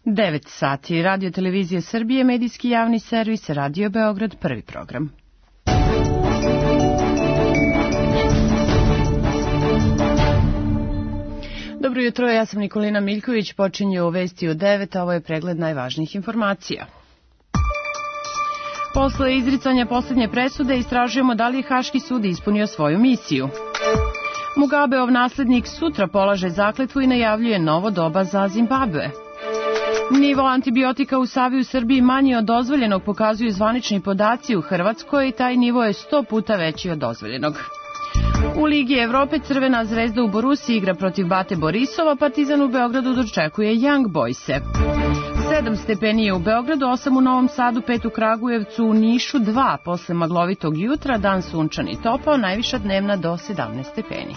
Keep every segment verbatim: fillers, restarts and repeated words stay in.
devet sati. Radio Televizije Srbije, medijski javni servis, Radio Beograd, prvi program. Dobro jutro, ja sam Nikolina Miljković, počinje u Vesti u devet, a ovo je pregled najvažnijih informacija. Posle izricanja poslednje presude istražujemo da li je Haški sud ispunio svoju misiju. Mugabeov naslednik sutra polaže zakletvu i najavljuje novo doba za Zimbabve. Nivo antibiotika u Savi u Srbiji manji od dozvoljenog pokazuju zvanični podaci u Hrvatskoj i taj nivo je sto puta veći od dozvoljenog. U Ligi Evrope Crvena zvezda u Borusiji igra protiv Bate Borisova, Partizan u Beogradu dočekuje Young Boyse. Sedam stepeni je u Beogradu, osam u Novom Sadu, pet u Kragujevcu, u Nišu dva posle maglovitog jutra, dan sunčan i topao, najviša dnevna do sedamnaest stepeni.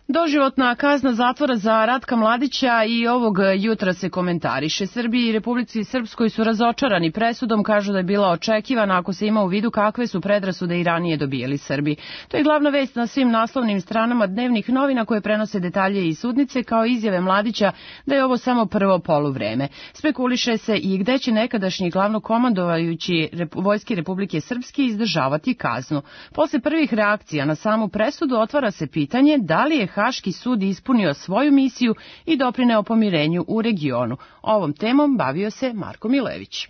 Doživotna kazna zatvora za Ratka Mladića i ovog jutra se komentariše. Srbiji i Republici Srpskoj su razočarani presudom, kažu da je bila očekivana ako se ima u vidu kakve su predrasude i ranije dobijali Srbi. To je glavna vest na svim naslovnim stranama dnevnih novina koje prenose detalje iz sudnice kao izjave Mladića da je ovo samo prvo poluvreme. Spekuliše se i gde će nekadašnji glavnokomandovajući Vojske Republike Srpske izdržavati kaznu. Posle prvih reakcija na samu presudu otvara se pitanje da li je Haški sud ispunio svoju misiju i doprineo pomirenju u regionu. Ovom temom bavio se Marko Milević.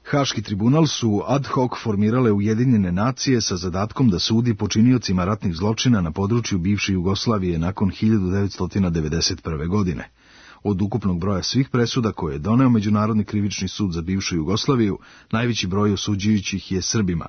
Haški tribunal su ad hoc formirale Ujedinjene nacije sa zadatkom da sudi počiniocima ratnih zločina na području bivše Jugoslavije nakon hiljadu devetsto devedeset prve. godine. Od ukupnog broja svih presuda koje je doneo Međunarodni krivični sud za bivšu Jugoslaviju, najveći broj osuđujućih je Srbima.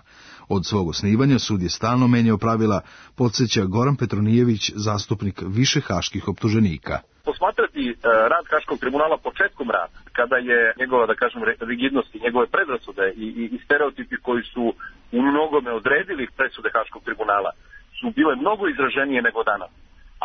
Od svog osnivanja sud je stalno menjao pravila, podsjeća Goran Petronijević, zastupnik više haških optuženika. Posmatrati e, rad Haškog tribunala početkom rada, kada je njegova, da kažem, rigidnost i njegove predrasude i, i, i stereotipi koji su u mnogome odredili presude Haškog tribunala, su bile mnogo izraženije nego danas.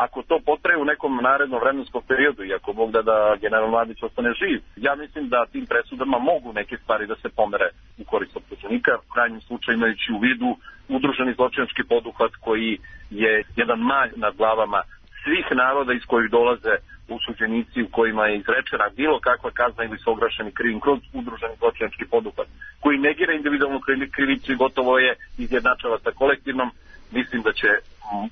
Ako to potraje u nekom narednom vremenskom periodu i ako Bog da da general Mladić ostane živ, ja mislim da tim presudama mogu neke stvari da se pomere u korist optuženika, u krajnjem slučaju imajući u vidu udruženi zločinački poduhvat koji je jedan malj nad glavama svih naroda iz kojih dolaze osuđenici u kojima je izrečena bilo kakva kazna ili su ograšeni krivim kroz udruženi zločinački poduhvat koji negira individualnu krivicu i gotovo je izjednačava sa kolektivnom. Mislim da će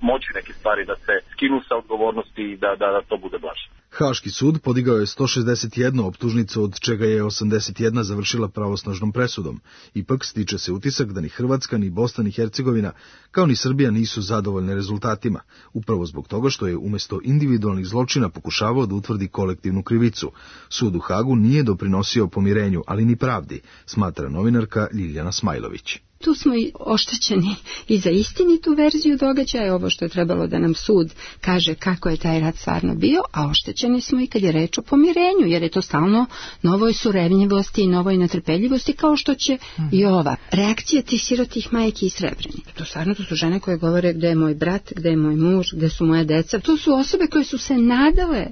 moći neke stvari da se skinu sa odgovornosti i da, da, da to bude blaže. Haški sud podigao je sto šezdeset jednu optužnicu, od čega je osamdeset jedna završila pravosnažnom presudom. Ipak stiče se utisak da ni Hrvatska, ni Bosna, ni Hercegovina, kao ni Srbija nisu zadovoljne rezultatima, upravo zbog toga što je umjesto individualnih zločina pokušavao da utvrdi kolektivnu krivicu. Sud u Hagu nije doprinosio pomirenju, ali ni pravdi, smatra novinarka Ljiljana Smajlović. Tu smo i oštećeni i za istinitu verziju događaja, ovo što je trebalo da nam sud kaže kako je taj rat stvarno bio, a oštećeni smo i kad je reč o pomirenju, jer je to stalno novoj surevnjivosti i novoj netrpeljivosti, kao što će mm. i ova reakcija tih sirotih majki i Srebreni. To stvarno to su žene koje govore gde je moj brat, gde je moj muž, gde su moje deca. To su osobe koje su se nadale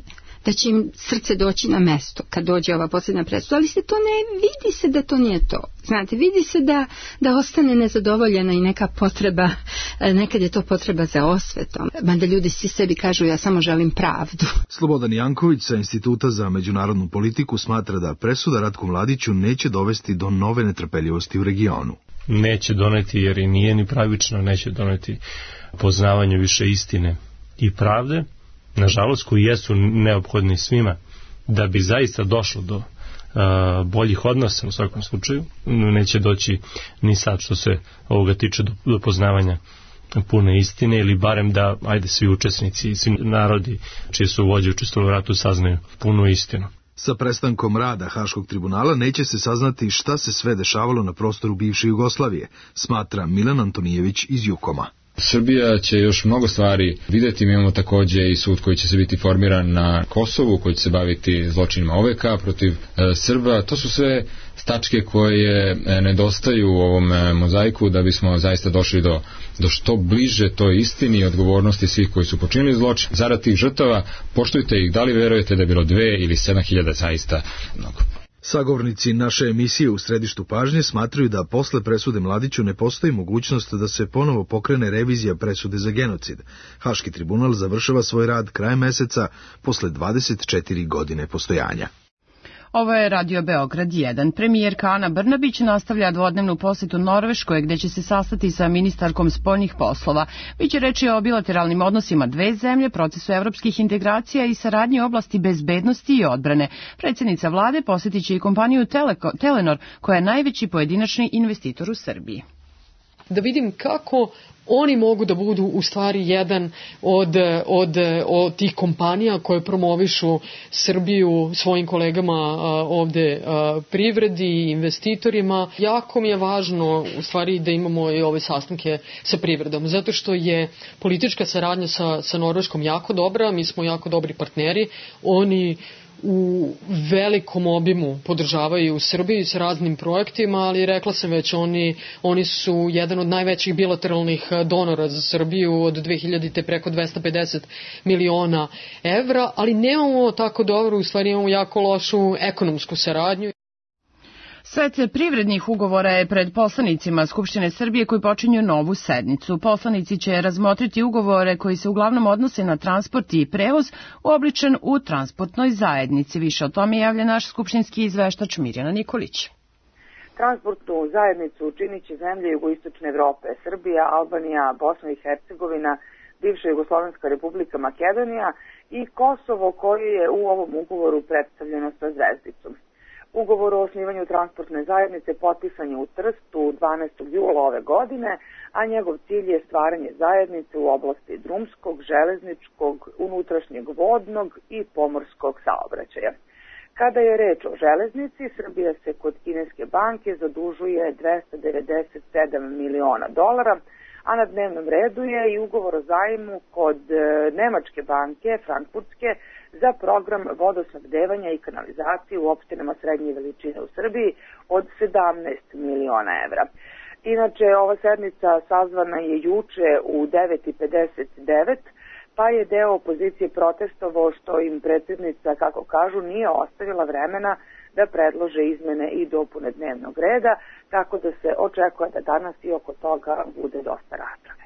da će im srce doći na mesto kad dođe ova posljedna presuda, ali se to ne vidi se da to nije to. Znate, vidi se da, da ostane nezadovoljena i neka potreba, nekad je to potreba za osvetom. Mada ljudi svi sebi kažu ja samo želim pravdu. Slobodan Janković sa Instituta za međunarodnu politiku smatra da presuda Ratku Mladiću neće dovesti do nove netrpeljivosti u regionu. Neće doneti jer i nije ni pravično, neće doneti poznavanje više istine i pravde, nažalost, koji jesu neophodni svima da bi zaista došlo do uh, boljih odnosa u svakom slučaju. Neće doći ni sad što se ovoga tiče do, do poznavanja pune istine, ili barem da, ajde, svi učesnici, svi narodi čije su vođe učestvovali u ratu saznaju punu istinu. Sa prestankom rada Haškog tribunala neće se saznati šta se sve dešavalo na prostoru bivše Jugoslavije, smatra Milan Antonijević iz Jukoma. Srbija će još mnogo stvari vidjeti. Mi imamo također i sud koji će se biti formiran na Kosovu, koji će se baviti zločinima O V K protiv e, Srba. To su sve tačke koje e, nedostaju u ovom e, mozaiku da bismo zaista došli do, do što bliže toj istini i odgovornosti svih koji su počinili zločin. Zarad tih žrtava poštujte ih, da li verujete da je bilo dve ili sedam hiljada, zaista mnogo. Sagovornici naše emisije u središtu pažnje smatraju da posle presude Mladiću ne postoji mogućnost da se ponovo pokrene revizija presude za genocid. Haški tribunal završava svoj rad krajem meseca posle dvadeset četiri godine postojanja. Ovo je Radio Beograd jedan. Premijerka Ana Brnabić nastavlja dvodnevnu posetu Norveškoj, gde će se sastati sa ministarkom spoljnih poslova. Biće reči o bilateralnim odnosima dve zemlje, procesu evropskih integracija i saradnji u oblasti bezbednosti i odbrane. Predsjednica vlade posjetit će i kompaniju Teleko, Telenor, koja je najveći pojedinačni investitor u Srbiji. Da vidim kako oni mogu da budu u stvari jedan od, od, od tih kompanija koje promovišu Srbiju svojim kolegama ovde privredi, investitorima. Jako mi je važno u stvari da imamo i ove sastanke sa privredom, zato što je politička saradnja sa, sa Norveškom jako dobra, mi smo jako dobri partneri, oni u velikom obimu podržavaju u Srbiji s raznim projektima, ali rekla sam već, oni, oni su jedan od najvećih bilateralnih donora za Srbiju od dve hiljadite preko dvesta pedeset miliona evra, ali nemamo tako dobro, u stvari imamo jako lošu ekonomsku saradnju. Set privrednih ugovora je pred poslanicima Skupštine Srbije koji počinju novu sednicu. Poslanici će razmotriti ugovore koji se uglavnom odnose na transport i prevoz uobličen u transportnoj zajednici. Više o tome javlja naš skupštinski izveštač Mirjana Nikolić. Transportnu zajednicu činit će zemlje jugoistočne Evrope, Srbija, Albanija, Bosna i Hercegovina, bivša Jugoslovenska republika Makedonija i Kosovo, koje je u ovom ugovoru predstavljeno sa zvezdicom. Ugovor o osnivanju transportne zajednice potpisan je u Trstu dvanaestog jula ove godine, a njegov cilj je stvaranje zajednice u oblasti drumskog, železničkog, unutrašnjeg vodnog i pomorskog saobraćaja. Kada je reč o železnici, Srbija se kod kineske banke zadužuje dvesta devedeset sedam miliona dolara, a na dnevnom redu je i ugovor o zajmu kod nemačke banke, frankfurtske, za program vodosnabdevanja i kanalizacije u opštinama srednje veličine u Srbiji od sedamnaest miliona evra. Inače, ova sednica sazvana je juče u devet i pedeset devet, pa je deo opozicije protestovao što im predsjednica, kako kažu, nije ostavila vremena da predlože izmene i dopune dnevnog reda, tako da se očekuje da danas i oko toga bude dosta rasprave.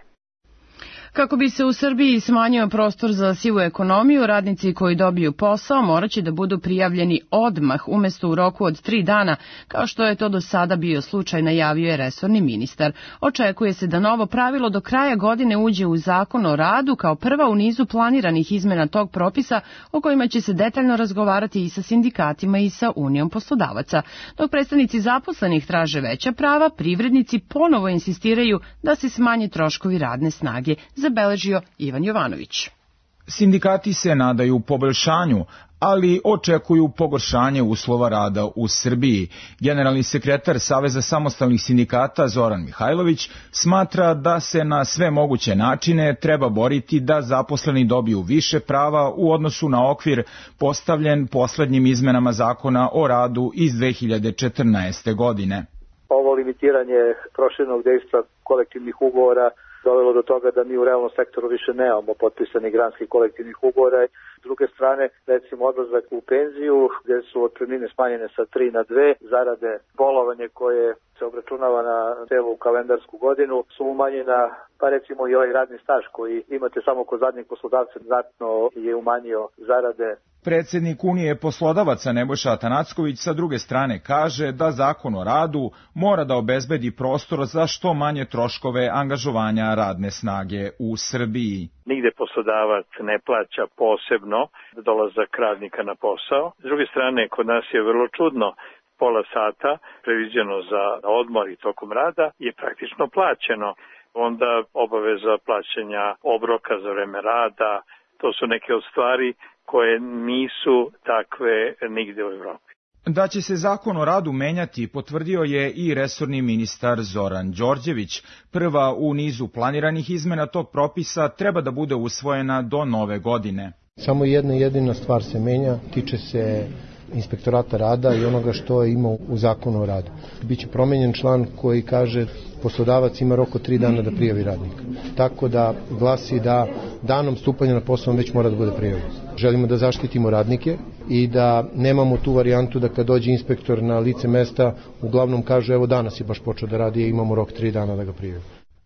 Kako bi se u Srbiji smanjio prostor za sivu ekonomiju, radnici koji dobiju posao moraće da budu prijavljeni odmah umjesto u roku od tri dana, kao što je to do sada bio slučaj, najavio je resorni ministar. Očekuje se da novo pravilo do kraja godine uđe u Zakon o radu kao prva u nizu planiranih izmena tog propisa, o kojima će se detaljno razgovarati i sa sindikatima i sa Unijom poslodavaca. Dok predstavnici zaposlenih traže veća prava, privrednici ponovo insistiraju da se smanje troškovi radne snage, zabeležio Ivan Jovanović. Sindikati se nadaju poboljšanju, ali očekuju pogoršanje uslova rada u Srbiji. Generalni sekretar Saveza samostalnih sindikata Zoran Mihajlović smatra da se na sve moguće načine treba boriti da zaposleni dobiju više prava u odnosu na okvir postavljen poslednjim izmenama Zakona o radu iz dve hiljade četrnaeste. godine. Ovo limitiranje proširenog dejstva kolektivnih ugovora dovelo do toga da mi u realnom sektoru više nemamo potpisanih granskih kolektivnih ugovora. S druge strane, recimo odlazak u penziju, gdje su otpremnine smanjene sa tri na dve, zarade bolovanje koje se obračunava na celu kalendarsku godinu su umanjena, pa recimo i ovaj radni staž koji imate samo kod zadnjeg poslodavca znatno je umanjio zarade. Predsjednik Unije poslodavaca Nebojša Atanacković sa druge strane kaže da Zakon o radu mora da obezbedi prostor za što manje troškove angažovanja radne snage u Srbiji. Nigde poslodavac ne plaća posebno dolazak radnika na posao. S druge strane, kod nas je vrlo čudno, pola sata previđeno za odmor i tokom rada je praktično plaćeno. Onda obaveza plaćanja obroka za vreme rada, to su neke od stvari koje nisu takve nigde u Evropi. Da će se Zakon o radu menjati, potvrdio je i resorni ministar Zoran Đorđević. Prva u nizu planiranih izmena tog propisa treba da bude usvojena do nove godine. Samo jedna jedina stvar se menja, tiče se inspektorata rada i onoga što je imao u zakonu o radu. Biće promenjen član koji kaže poslodavac ima rok od tri dana da prijavi radnika. Tako da glasi da danom stupanja na posao on već mora da bude prijavljen. Želimo da zaštitimo radnike i da nemamo tu varijantu da kad dođe inspektor na lice mesta uglavnom kaže evo danas je baš počeo da radi i imamo rok tri dana da ga prijavi.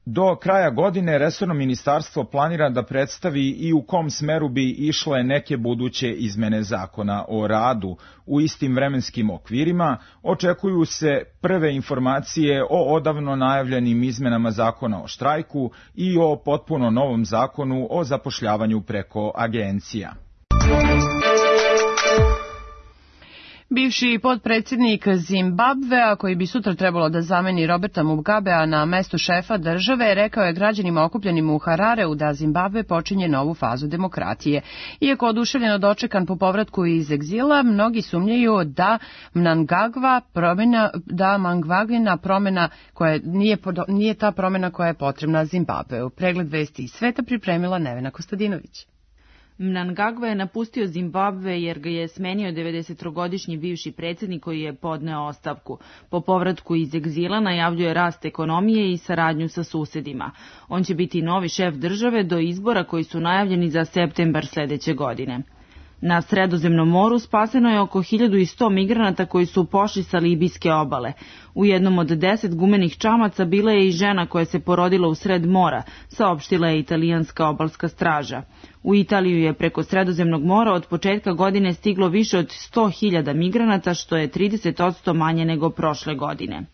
Do kraja godine resorno ministarstvo planira da predstavi i u kom smeru bi išle neke buduće izmene zakona o radu u istim vremenskim okvirima. Očekuju se prve informacije o odavno najavljenim izmenama zakona o štrajku i o potpuno novom zakonu o zapošljavanju preko agencija. Bivši potpredsjednik Zimbabvea, koji bi sutra trebalo da zameni Roberta Mugabea na mesto šefa države, rekao je građanima okupljenim u Harareu da Zimbabve počinje novu fazu demokratije. Iako oduševljeno dočekan po povratku iz egzila, mnogi sumnjaju da Mnangagwa promjena, da Mnangagwina promjena koja nije, nije ta promjena koja je potrebna Zimbabveu. Pregled vesti iz sveta pripremila Nevena Kostadinović. Mnangagwa je napustio Zimbabve jer ga je smenio devedesettrogodišnji bivši predsjednik koji je podneo ostavku. Po povratku iz egzila najavljuje rast ekonomije i saradnju sa susedima. On će biti novi šef države do izbora koji su najavljeni za septembar sljedeće godine. Na Sredozemnom moru spaseno je oko hiljadu sto migranata koji su pošli sa libijske obale. U jednom od deset gumenih čamaca bila je i žena koja se porodila u sred mora, saopštila je italijanska obalska straža. U Italiju je preko Sredozemnog mora od početka godine stiglo više od sto hiljada migranata, što je trideset posto manje nego prošle godine.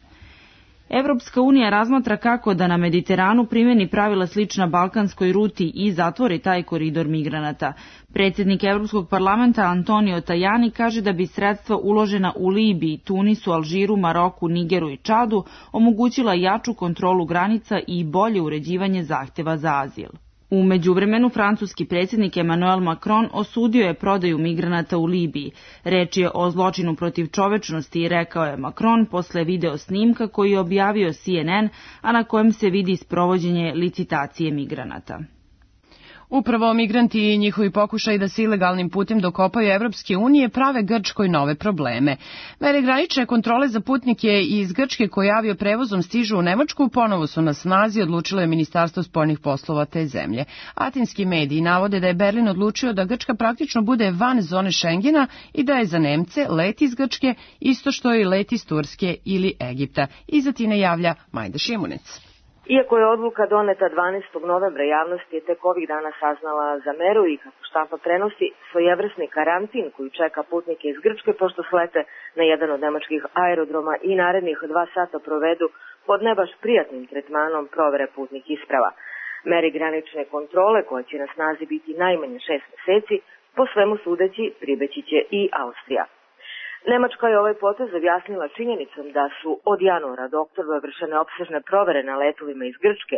Evropska unija razmatra kako da na Mediteranu primeni pravila slična balkanskoj ruti i zatvori taj koridor migranata. Predsjednik Evropskog parlamenta Antonio Tajani kaže da bi sredstva uložena u Libiji, Tunisu, Alžiru, Maroku, Nigeru i Čadu omogućila jaču kontrolu granica i bolje uređivanje zahtjeva za azil. U međuvremenu, francuski predsjednik Emmanuel Macron osudio je prodaju migranata u Libiji. Reč je o zločinu protiv čovečnosti, rekao je Macron posle video snimka koji je objavio C N N, a na kojem se vidi sprovođenje licitacije migranata. Upravo migranti i njihovi pokušaj da se ilegalnim putem dokopaju Evropske unije prave Grčkoj nove probleme. Mere granične kontrole za putnike iz Grčke koji avio prevozom stižu u Nemačku ponovo su na snazi, odlučilo je Ministarstvo spoljnih poslova te zemlje. Atinski mediji navode da je Berlin odlučio da Grčka praktično bude van zone Šengena i da je za Nemce let iz Grčke isto što i let iz Turske ili Egipta. Iz Atine javlja Majda Šimunec. Iako je odluka doneta dvanaestog novembra, javnost je tek ovih dana saznala za meru i kako štampa prenosi svojevrsni karantin koji čeka putnike iz Grčke pošto slete na jedan od nemačkih aerodroma i narednih dva sata provedu pod ne baš prijatnim tretmanom provere putnih isprava. Meri granične kontrole, koja će na snazi biti najmanje šest meseci, po svemu sudeći pribeći će i Austrija. Nemačka je ovaj potez objasnila činjenicom da su od januara do oktobra vršene opsežne provere na letovima iz Grčke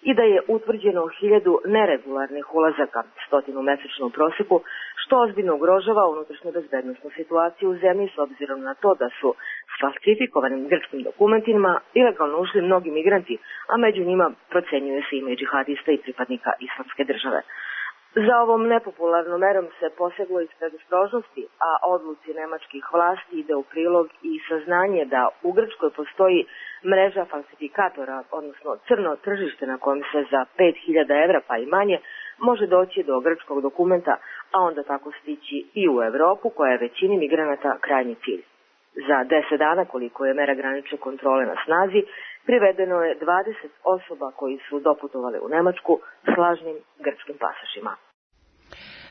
i da je utvrđeno hiljadu neregularnih ulazaka, stotinu mesečno u proseku, što ozbiljno ugrožava unutrašnju bezbednosnu situaciju u zemlji s obzirom na to da su s falsifikovanim grčkim dokumentima ilegalno ušli mnogi migranti, a među njima procenjuje se ima i džihadista i pripadnika islamske države. Za ovom nepopularnom merom se poseglo iz predostrožnosti, a odluci nemačkih vlasti ide u prilog i saznanje da u Grčkoj postoji mreža falsifikatora, odnosno crno tržište na kojem se za pet hiljada evra pa i manje može doći do grčkog dokumenta, a onda tako stići i u Evropu koja je većini migranata krajnji cilj. Za deset dana, koliko je mera granične kontrole na snazi, privedeno je dvadeset osoba koji su doputovali u Nemačku s lažnim grčkim pasošima.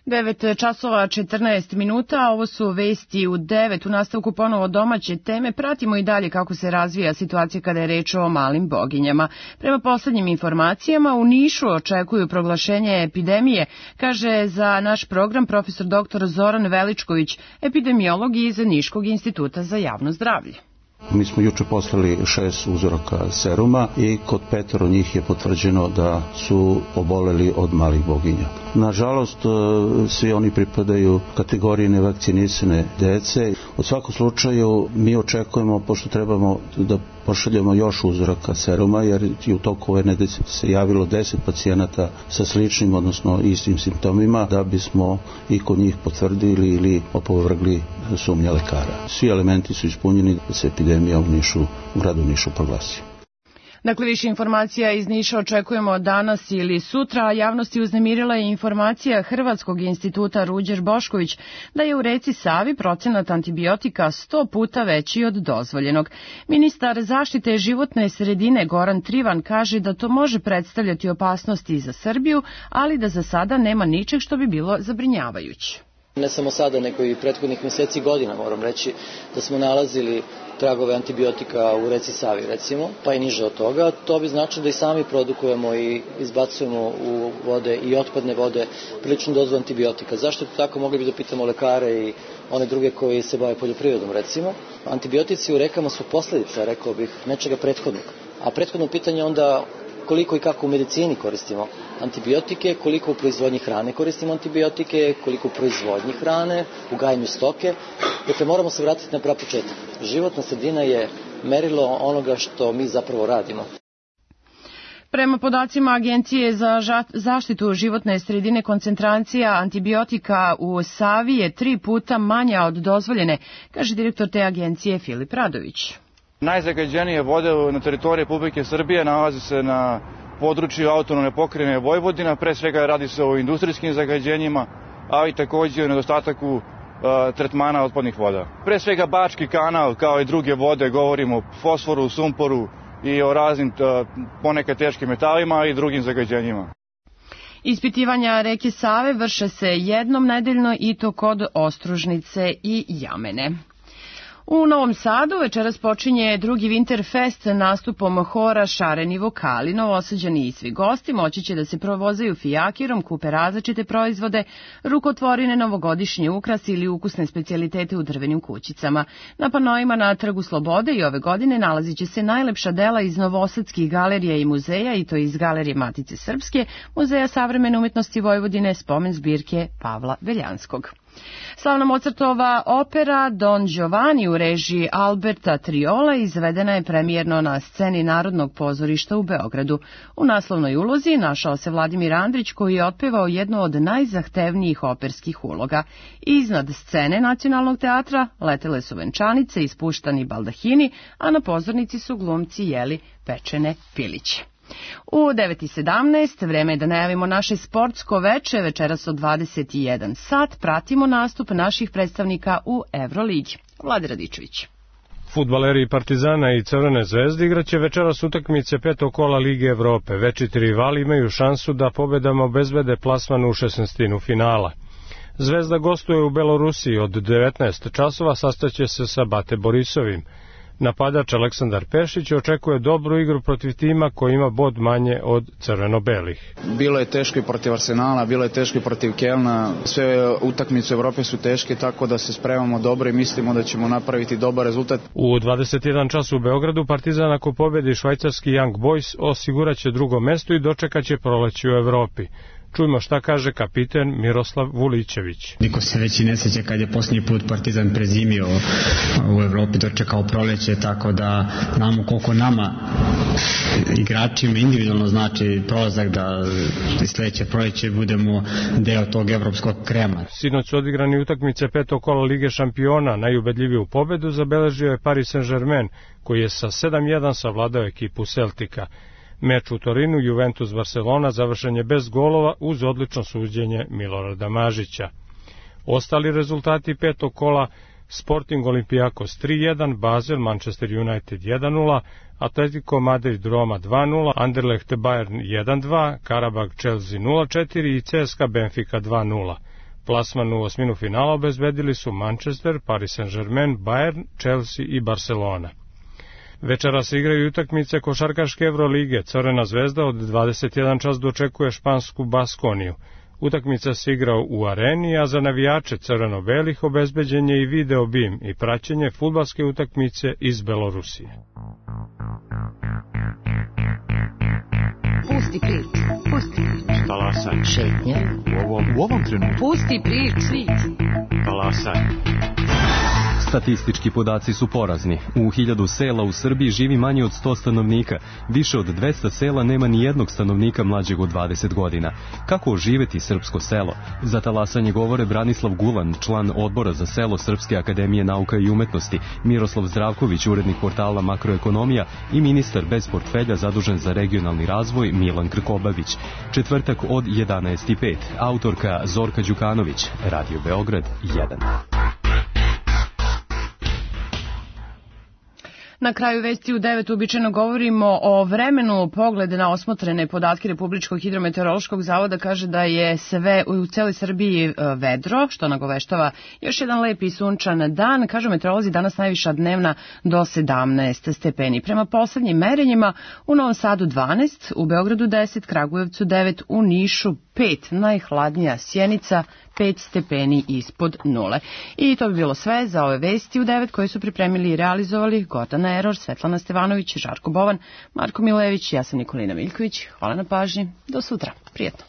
devet časova četrnaest minuta, ovo su vesti u devet, u nastavku ponovo domaće teme. Pratimo i dalje kako se razvija situacija kada je reč o malim boginjama. Prema poslednjim informacijama, u Nišu očekuju proglašenje epidemije, kaže za naš program profesor doktor Zoran Veličković, epidemiolog iz Niškog instituta za javno zdravlje. Mi smo juče poslali šest uzoraka seruma i kod petoro njih je potvrđeno da su oboleli od malih boginja. Nažalost, svi oni pripadaju kategoriji nevakcinisane dece. U svakom slučaju mi očekujemo, pošto trebamo da pošaljemo još uzoraka seruma, jer i u toku ove nedelje se javilo deset pacijenata sa sličnim, odnosno istim simptomima, da bismo i kod njih potvrdili ili opovrgli sumnje lekara. Svi elementi su ispunjeni da se epidemija u Nišu, u gradu Nišu proglasi. Dakle, više informacija iz Niša očekujemo danas ili sutra, a javnosti uznemirila je informacija Hrvatskog instituta Ruđer Bošković da je u reci Savi procenat antibiotika sto puta veći od dozvoljenog. Ministar zaštite životne sredine Goran Trivan kaže da to može predstavljati opasnosti za Srbiju, ali da za sada nema ničeg što bi bilo zabrinjavajuće. Ne samo sada, nego i prethodnih meseci i godina, moram reći, da smo nalazili tragove antibiotika u reci Savi, recimo, pa i niže od toga. To bi značilo da i sami produkujemo i izbacujemo u vode i otpadne vode priličnu dozu antibiotika. Zašto je to tako? Mogli bi da pitamo lekare i one druge koji se bave poljoprivredom, recimo. Antibiotici u rekama su posledica, rekao bih, nečega prethodnog. A prethodno pitanje onda koliko i kako u medicini koristimo antibiotike, koliko u proizvodnji hrane koristimo antibiotike, koliko u proizvodnji hrane, u gajenju stoke. Dakle, moramo se vratiti na prav početak. Životna sredina je merilo onoga što mi zapravo radimo. Prema podacima Agencije za zaštitu životne sredine, koncentracija antibiotika u Savi je tri puta manja od dozvoljene, kaže direktor te agencije Filip Radović. Najzagađenije vode na teritoriji Republike Srbije nalazi se na području autonomne pokrajine Vojvodina, pre svega radi se o industrijskim zagađenjima, ali takođe i nedostatak uh, tretmana otpadnih voda. Pre svega Bački kanal, kao i druge vode, govorimo o fosforu, sumporu i o raznim uh, ponekad teškim metalima, ali i drugim zagađenjima. Ispitivanja reke Save vrše se jednom nedeljno i to kod Ostružnice i Jamene. U Novom Sadu večeras počinje drugi Winterfest nastupom hora Šareni vokali. Novosađani i svi gosti moći će da se provozaju fijakirom, kupe različite proizvode, rukotvorine, novogodišnje ukrasi ili ukusne specijalitete u drvenim kućicama. Na panojima na Trgu Slobode i ove godine nalazit će se najlepša dela iz novosadskih galerija i muzeja, i to iz Galerije Matice Srpske, Muzeja savremene umetnosti Vojvodine, spomen zbirke Pavla Veljanskog. Slavna Mozartova opera Don Giovanni u režiji Alberta Triola izvedena je premijerno na sceni Narodnog pozorišta u Beogradu. U naslovnoj ulozi našao se Vladimir Andrić, koji je otpevao jednu od najzahtevnijih operskih uloga. Iznad scene Nacionalnog teatra letele su venčanice i spuštani baldahini, a na pozornici su glumci jeli pečene piliće. U devet i sedamnaest vreme je da najavimo naše sportsko veče. Večeras od dvadeset i jedan sat pratimo nastup naših predstavnika u Evroligi. Vlade Radičević. Fudbaleri Partizana i Crvene zvezde igraće večeras utakmice petog kola Lige Evrope. Večiti rivali imaju šansu da pobedama obezbede plasman u šesnaestinu finala. Zvezda gostuje u Belorusiji od devetnaest časova, sastaće se sa Bate Borisovim. Napadač Aleksandar Pešić očekuje dobru igru protiv tima koji ima bod manje od crveno-belih. Bilo je teško i protiv Arsenala, bilo je teško i protiv Kelna. Sve utakmice u Evrope su teške, tako da se spremamo dobro i mislimo da ćemo napraviti dobar rezultat. U dvadeset jedan čas u Beogradu Partizan, ako pobedi švajcarski Young Boys, osiguraće drugo mesto i dočekaće proleće u Evropi. Čujmo šta kaže kapiten Miroslav Vulićević. Niko se već i ne seća kad je posljednji put Partizan prezimio u Evropi, dočekao proleće, tako da znamo koliko nama igračima individualno znači prolazak da sledeće proleće budemo deo tog evropskog krema. Sinoć su odigrani utakmice petog kola Lige šampiona. Najubedljiviju pobedu zabeležio je Paris Saint-Germain, koji je sa sedam jedan savladao ekipu Celtica. Meč u Torinu Juventus Barcelona završen je bez golova uz odlično suđenje Milorada Mažića. Ostali rezultati petog kola: Sporting Olympiakos tri jedan, Basel Manchester United jedan nula, Atletico Madrid Roma dva nula, Anderlecht Bayern jedan dva, Karabag Chelsea nula četiri i C S K A Benfica dva nula. Plasman u osminu finala obezbedili su Manchester, Paris Saint-Germain, Bayern, Chelsea i Barcelona. Večera se igraju utakmice košarkaške Evrolige. Crvena zvezda od dvadeset jedan čas dočekuje špansku Baskoniju. Utakmica se igra u areni, a za navijače crveno-belih obezbeđen je i video bim i praćenje fudbalske utakmice iz Belorusije. Pusti priču, pusti priču. Talasaj. Šetnja. U ovom, u ovom trenutku. Pusti priču. Talasaj. Statistički podaci su porazni. U hiljadu sela u Srbiji živi manje od sto stanovnika. Više od dvesta sela nema ni jednog stanovnika mlađeg od dvadeset godina. Kako oživeti srpsko selo? Za talasanje govore Branislav Gulan, član odbora za selo Srpske akademije nauka i umetnosti, Miroslav Zdravković, urednik portala Makroekonomija i ministar bez portfelja zadužen za regionalni razvoj Milan Krkobabić. Četvrtak od jedanaest i pet. Autorka Zorka Đukanović, Radio Beograd jedan. Na kraju vesti u devet uobičajeno govorimo o vremenu. Pogled na osmotrene podatke Republičkog hidrometeorološkog zavoda kaže da je sve u celoj Srbiji vedro, što nagoveštava još jedan lep i sunčan dan. Kažu meteorolozi, danas najviša dnevna do sedamnaest stepeni. Prema poslednjim merenjima u Novom Sadu dvanaest, u Beogradu deset, Kragujevcu devet, u Nišu pet, najhladnija Sjenica pet stepeni ispod nule. I to bi bilo sve za ove vesti u devet koje su pripremili i realizovali Gordana Eror, Svetlana Stevanović, Žarko Bovan, Marko Milević, ja sam Nikolina Miljković. Hvala na pažnji. Do sutra. Prijetno.